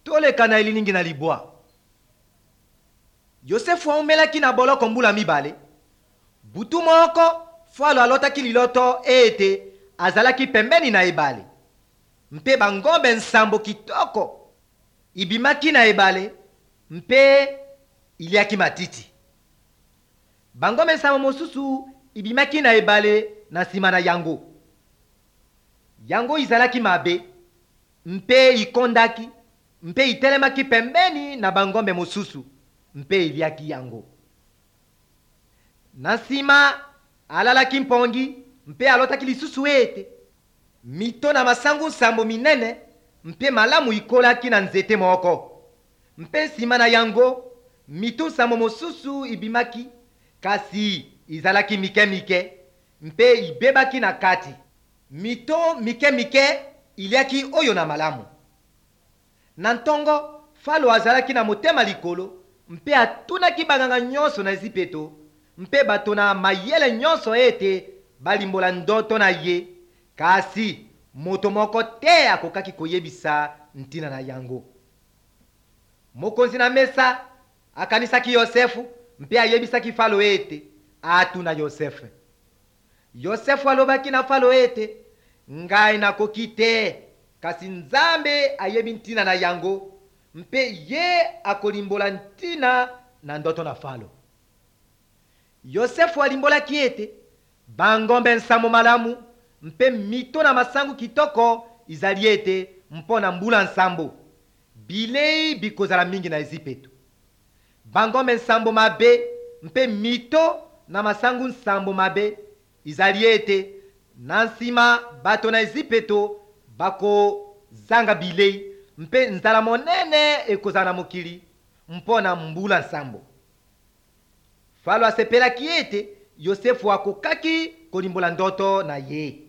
Toleka na elilingi na libwa. Yosefu aumelaki na boloko mbula mibale. Butu moko, Falo alotaki liloto ete azalaki pembeni na ebale, mpe bangombe nsambo kitoko ibimaki na ebale mpe iliaki matiti. Bangombe nsambo mosusu ibimaki na ebale na nsima na yango. Yango izalaki mabe mpe ikondaki mpe itelemaki pembeni na bangombe mosusu mpe iliaki yango. Na nsima alalaki mpongi mpe alotaki lisusu ete mito na masangu nsambo minene mpe malamu ikolaki na nzete moko, mpe nsima na yango mito nsambo mosusu ibimaki, kasi izalaki mike-mike mpe ibebaki na kati. Mito mike-mike iliaki oyo na malamu. Na ntongo, Falo azalaki na motema likolo mpe atunaki banganga nyonso na Ezipito mpe bato na mayele nyonso ete balimbola ndoto na ye, kasi moto moko te akokaki koyebisa ntina na yango. Mokonzi na mesa akanisaki Yosefu mpe ayebisaki Falo ete atuna Yosefe. Yosefu alobaki na Falo ete, Ngai nakoki te, kasi Nzambe ayebi ntina na yango, mpe ye akolimbola ntina na ndoto na Falo. Yosefu alimbolaki ete bangombe nsambo malamu mpe mito na masangu kitoko izali ete mpo na mbula nsambo bilei bikozala mingi na Ezipito. Bangombe nsambo mabe mpe mito na masangu nsambo mabe izali ete na nsima bato na Ezipito bakozanga bilei mpe nzala monene ekozala na mokili mpo na mbula nsambo. Falo asepelaki ete Yosefu akokaki kolimbola ndoto na ye.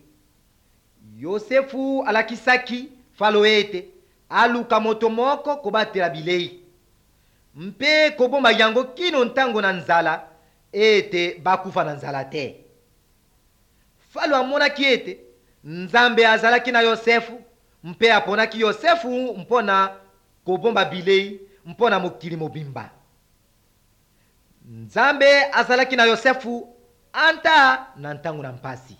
Yosefu alakisaki Falo ete aluka moto moko kobatela bilei mpe kobomba yango kino ntango na nzala ete bakufa na nzala te. Falo amonaki ete Nzambe azalaki na Yosefu mpe aponaki Yosefu mpo na kobomba bilei mpo na mokili mobimba. Nzambe azalaki na Yosefu ata na ntango na mpasi.